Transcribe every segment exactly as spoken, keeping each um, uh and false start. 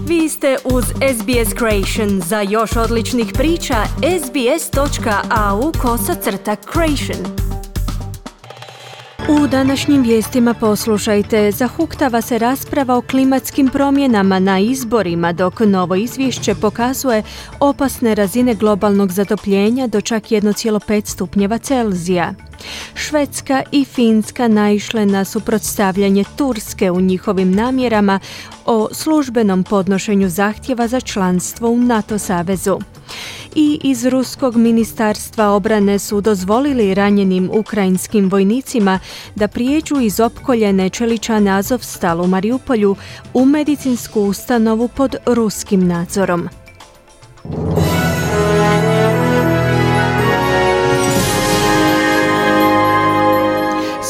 Vi ste uz S B S Creation. Za još odličnih priča, sbs.au kosacrta creation. U današnjim vijestima poslušajte, zahuktava se rasprava o klimatskim promjenama na izborima, dok novo izvješće pokazuje opasne razine globalnog zatopljenja do čak jedan zarez pet stupnjeva Celzija. Švedska i Finska naišle na suprotstavljanje Turske u njihovim namjerama o službenom podnošenju zahtjeva za članstvo u NATO savezu. I iz Ruskog ministarstva obrane su dozvolili ranjenim ukrajinskim vojnicima da prijeđu iz opkoljene čeličane Azovstal u Mariupolju u medicinsku ustanovu pod ruskim nadzorom.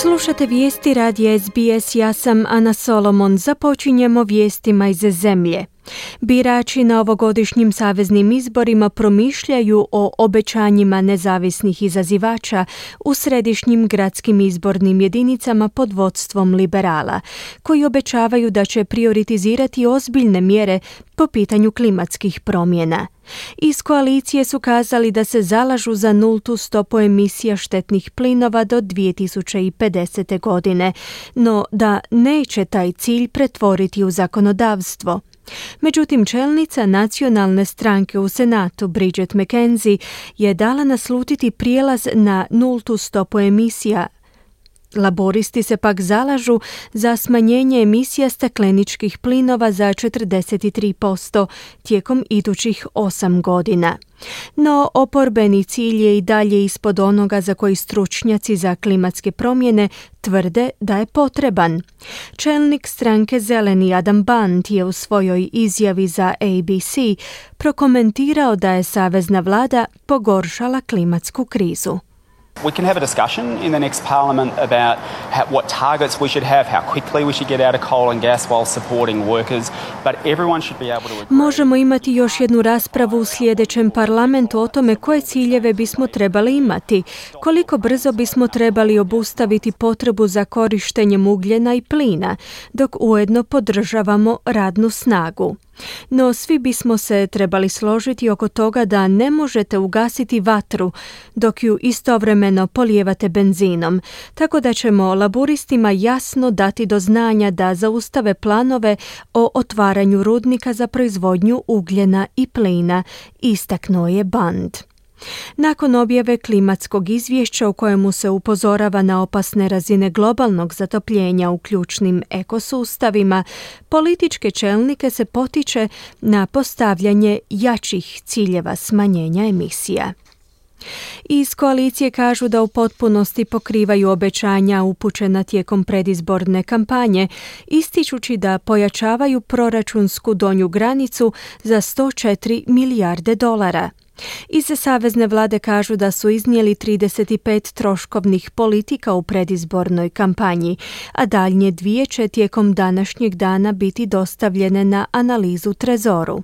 Slušate vijesti radija S B S, ja sam Ana Solomon. Započinjemo vijestima iz zemlje. Birači na ovogodišnjim saveznim izborima promišljaju o obećanjima nezavisnih izazivača u središnjim gradskim izbornim jedinicama pod vodstvom liberala, koji obećavaju da će prioritizirati ozbiljne mjere po pitanju klimatskih promjena. Iz koalicije su kazali da se zalažu za nultu stopu emisija štetnih plinova do dvije tisuće pedesete. godine, no da neće taj cilj pretvoriti u zakonodavstvo. Međutim, čelnica nacionalne stranke u Senatu, Bridget McKenzie, je dala naslutiti prijelaz na nultu stopu emisija. Laboristi se pak zalažu za smanjenje emisija stakleničkih plinova za četrdeset tri posto tijekom idućih osam godina. No, oporbeni cilj je i dalje ispod onoga za koji stručnjaci za klimatske promjene tvrde da je potreban. Čelnik stranke Zeleni Adam Band je u svojoj izjavi za A B C prokomentirao da je savezna vlada pogoršala klimatsku krizu. We can have a discussion in the next parliament about how, what targets we should have, how quickly we should get out of coal and gas while supporting workers, but everyone should be able to agree. Možemo imati još jednu raspravu u sljedećem parlamentu o tome koje ciljeve bismo trebali imati, koliko brzo bismo trebali obustaviti potrebu za korištenjem ugljena i plina, dok ujedno podržavamo radnu snagu. No svi bismo se trebali složiti oko toga da ne možete ugasiti vatru dok ju istovremeno polijevate benzinom, tako da ćemo laburistima jasno dati do znanja da zaustave planove o otvaranju rudnika za proizvodnju ugljena i plina, istaknuo je Band. Nakon objave klimatskog izvješća u kojemu se upozorava na opasne razine globalnog zatopljenja u ključnim ekosustavima, političke čelnike se potiče na postavljanje jačih ciljeva smanjenja emisija. Iz koalicije kažu da u potpunosti pokrivaju obećanja upućena tijekom predizborne kampanje, ističući da pojačavaju proračunsku donju granicu za sto četiri milijarde dolara. Iz savezne vlade kažu da su iznijeli trideset pet troškovnih politika u predizbornoj kampanji, a daljnje dvije će tijekom današnjeg dana biti dostavljene na analizu trezoru.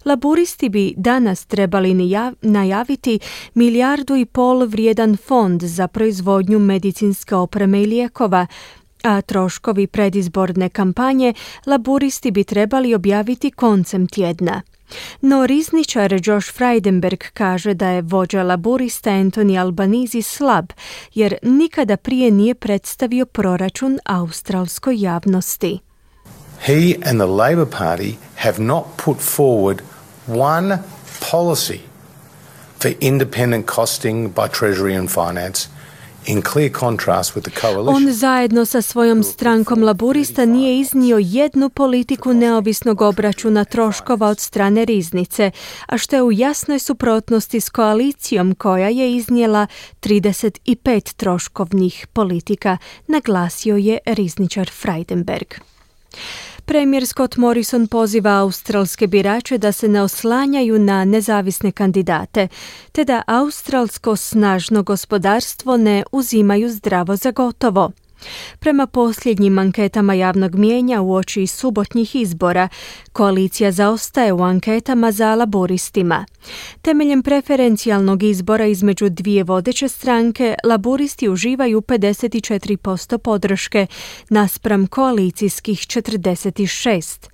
Laburisti bi danas trebali najaviti milijardu i pol vrijedan fond za proizvodnju medicinske opreme i lijekova, a troškovi predizborne kampanje laburisti bi trebali objaviti koncem tjedna. No rizničar Josh Frydenberg kaže da je vođa laburista Anthony Albanese slab, jer nikada prije nije predstavio proračun australskoj javnosti. He and the Labor Party have not put forward one policy for independent costing by Treasury and Finance, in clear contrast with the coalition. On zajedno sa svojom strankom laburista nije iznio jednu politiku neovisnog obračuna troškova od strane riznice, a što je u jasnoj suprotnosti s koalicijom koja je iznijela trideset pet troškovnih politika, naglasio je rizničar Frydenberg. Premijer Scott Morrison poziva australske birače da se ne oslanjaju na nezavisne kandidate, te da australsko snažno gospodarstvo ne uzimaju zdravo za gotovo. Prema posljednjim anketama javnog mijenja uoči subotnjih izbora, koalicija zaostaje u anketama za laburistima. Temeljem preferencijalnog izbora između dvije vodeće stranke, laburisti uživaju pedeset četiri posto podrške naspram koalicijskih četrdeset šest.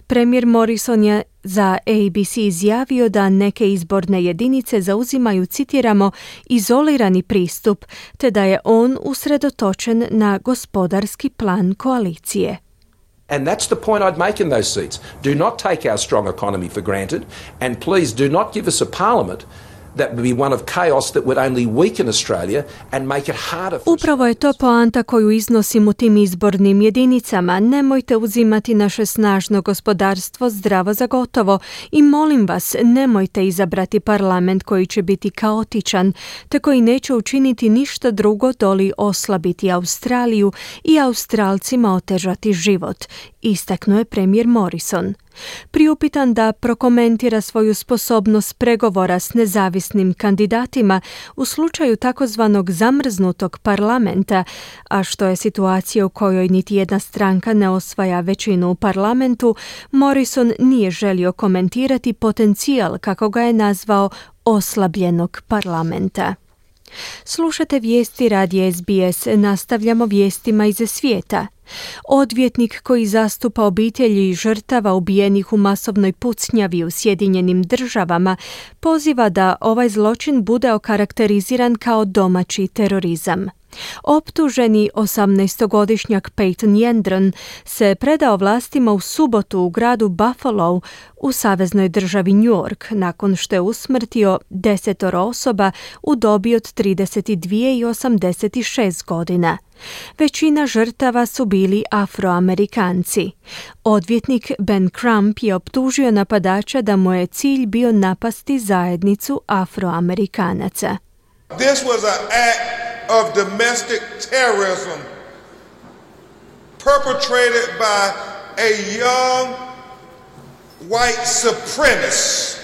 Premijer Morrison je za A B C izjavio da neke izborne jedinice zauzimaju, citiramo, izolirani pristup, te da je on usredotočen na gospodarski plan koalicije. And that's the point I'd make in those seats. Do not take our strong economy for granted, and please do not give us a parliament that would be one of chaos that would only weaken Australia and make it harder for... Upravo je to poanta koju iznosim u tim izbornim jedinicama. Nemojte uzimati naše snažno gospodarstvo zdravo za gotovo i molim vas, nemojte izabrati parlament koji će biti kaotičan, te koji neće učiniti ništa drugo doli oslabiti Australiju i Australcima otežati život, istaknuo je premijer Morrison. Priupitan da prokomentira svoju sposobnost pregovora s nezavisnim kandidatima u slučaju takozvanog zamrznutog parlamenta, a što je situacija u kojoj niti jedna stranka ne osvaja većinu u parlamentu, Morrison nije želio komentirati potencijal, kako ga je nazvao, oslabljenog parlamenta. Slušate vijesti radija S B S, nastavljamo vijestima iz svijeta. Odvjetnik koji zastupa obitelji žrtava ubijenih u masovnoj pucnjavi u Sjedinjenim Državama poziva da ovaj zločin bude okarakteriziran kao domaći terorizam. Optuženi osamnaestogodišnjak Peyton Yendron se predao vlastima u subotu u gradu Buffalo u saveznoj državi New York nakon što je usmrtio desetoro osoba u dobi od trideset dvije i osamdeset šest godina. Većina žrtava su bili Afroamerikanci. Odvjetnik Ben Crump je optužio napadača da mu je cilj bio napasti zajednicu Afroamerikanaca. This was an act of domestic terrorism perpetrated by a young white supremacist.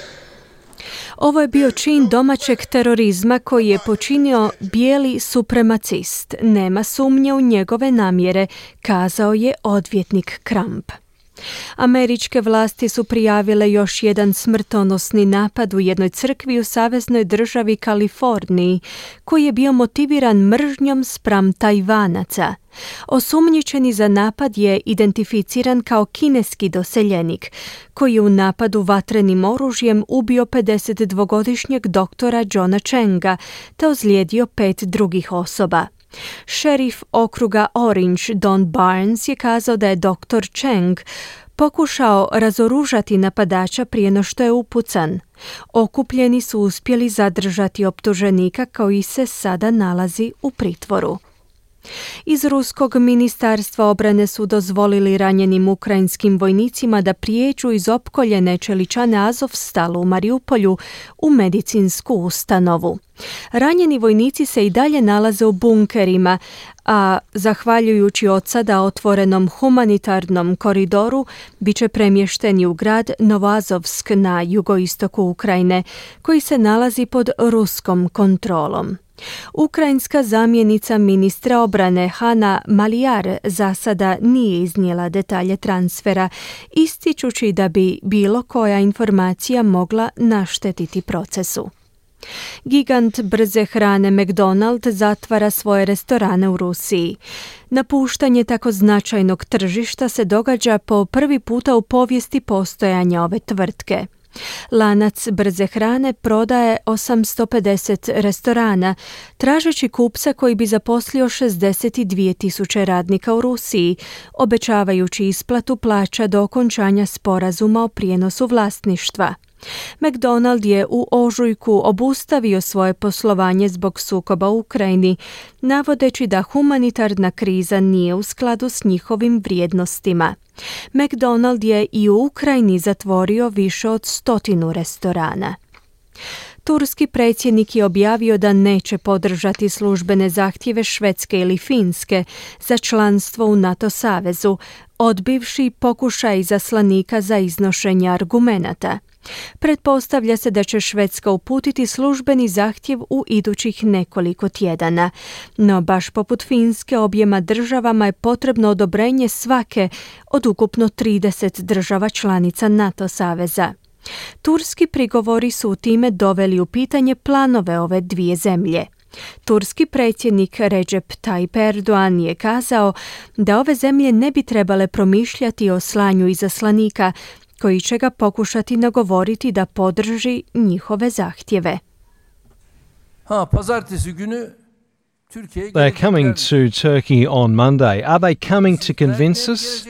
Ovo je bio čin domaćeg terorizma koji je počinio bijeli supremacist. Nema sumnje u njegove namjere, kazao je odvjetnik Crump. Američke vlasti su prijavile još jedan smrtonosni napad u jednoj crkvi u saveznoj državi Kaliforniji, koji je bio motiviran mržnjom spram Tajvanaca. Osumnjičeni za napad je identificiran kao kineski doseljenik, koji je u napadu vatrenim oružjem ubio pedesetdvogodišnjeg doktora Johna Chenga, te ozlijedio pet drugih osoba. Šerif okruga Orange Don Barnes je kazao da je doktor Cheng pokušao razoružati napadača prije no što je upucan. Okupljeni su uspjeli zadržati optuženika koji se sada nalazi u pritvoru. Iz Ruskog ministarstva obrane su dozvolili ranjenim ukrajinskim vojnicima da prijeđu iz opkoljene čeličane Azovstalu u Mariupolju u medicinsku ustanovu. Ranjeni vojnici se i dalje nalaze u bunkerima, a zahvaljujući od sada otvorenom humanitarnom koridoru bit će premješteni u grad Novoazovsk na jugoistoku Ukrajine, koji se nalazi pod ruskom kontrolom. Ukrajinska zamjenica ministra obrane Hanna Maliar za sada nije iznijela detalje transfera, ističući da bi bilo koja informacija mogla naštetiti procesu. Gigant brze hrane McDonald zatvara svoje restorane u Rusiji. Napuštanje tako značajnog tržišta se događa po prvi puta u povijesti postojanja ove tvrtke. Lanac brze hrane prodaje osamsto pedeset restorana, tražeći kupca koji bi zaposlio šezdeset dvije tisuće radnika u Rusiji, obećavajući isplatu plaća do okončanja sporazuma o prijenosu vlasništva. McDonald je u ožujku obustavio svoje poslovanje zbog sukoba u Ukrajini, navodeći da humanitarna kriza nije u skladu s njihovim vrijednostima. McDonald je i u Ukrajini zatvorio više od stotinu restorana. Turski predsjednik je objavio da neće podržati službene zahtjeve Švedske ili Finske za članstvo u NATO savezu, odbivši pokušaj izaslanika za iznošenje argumenata. Pretpostavlja se da će Švedska uputiti službeni zahtjev u idućih nekoliko tjedana, no baš poput Finske objema državama je potrebno odobrenje svake od ukupno trideset država članica NATO saveza. Turski prigovori su time doveli u pitanje planove ove dvije zemlje. Turski predsjednik Recep Tayyip Erdogan je kazao da ove zemlje ne bi trebale promišljati o slanju izaslanika koji će ga pokušati nagovoriti da podrži njihove zahtjeve. They're coming to Turkey on Monday. Are they coming to convince us?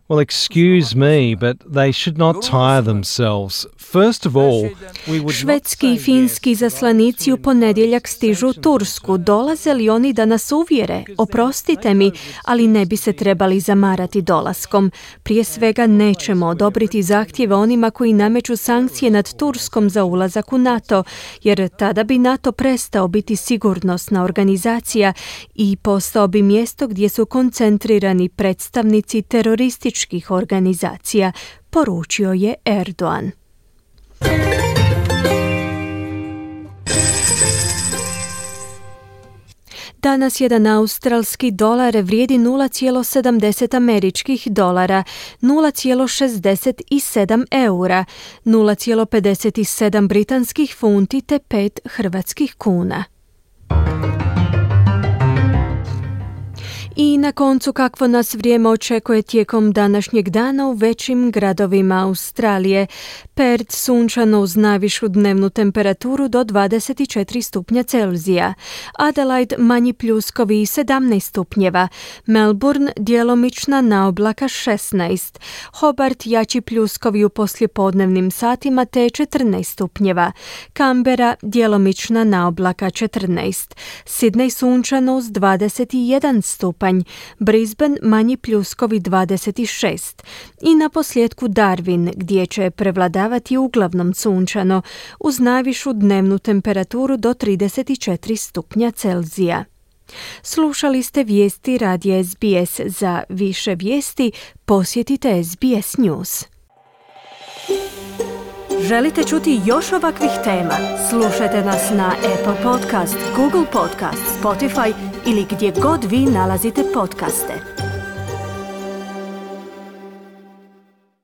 Well, excuse me, but they should not tire themselves. First of all, we would Švedski i finski zaslanici u ponedjeljak stižu u Tursku. Dolaze li oni da nas uvjere? Oprostite mi, ali ne bi se trebali zamarati dolaskom. Prije svega nećemo odobriti zahtjeve onima koji nameću sankcije nad Turskom za ulazak u NATO, jer tada bi NATO prestao biti sigurnosna organizacija i postao bi mjesto gdje su koncentrirani predstavnici terorističkih organizacija, poručio je Erdogan. Danas jedan australski dolar vrijedi nula zarez sedamdeset američkih dolara, nula zarez šezdeset sedam eura, nula zarez pedeset sedam britanskih funti te pet hrvatskih kuna. I na koncu kakvo nas vrijeme očekuje tijekom današnjeg dana u većim gradovima Australije. Perth sunčano uz najvišu dnevnu temperaturu do dvadeset četiri stupnja Celzija. Adelaide manji pljuskovi i sedamnaest stupnjeva. Melbourne djelomična naoblaka šesnaest. Hobart jači pljuskovi u poslijepodnevnim satima te četrnaest stupnjeva. Canberra djelomična naoblaka četrnaest. Sydney sunčano uz dvadeset jedan stupanj. Brisbane manji pljuskovi dvadeset šest. I na posljedku Darwin gdje će prevladavati uglavnom sunčano uz najvišu dnevnu temperaturu do trideset četiri stupnja Celzija. Slušali ste vijesti radija S B S. Za više vijesti posjetite S B S News. Želite čuti još ovakvih tema? Slušajte nas na Apple Podcast, Google Podcast, Spotify ili gdje god vi nalazite podcaste.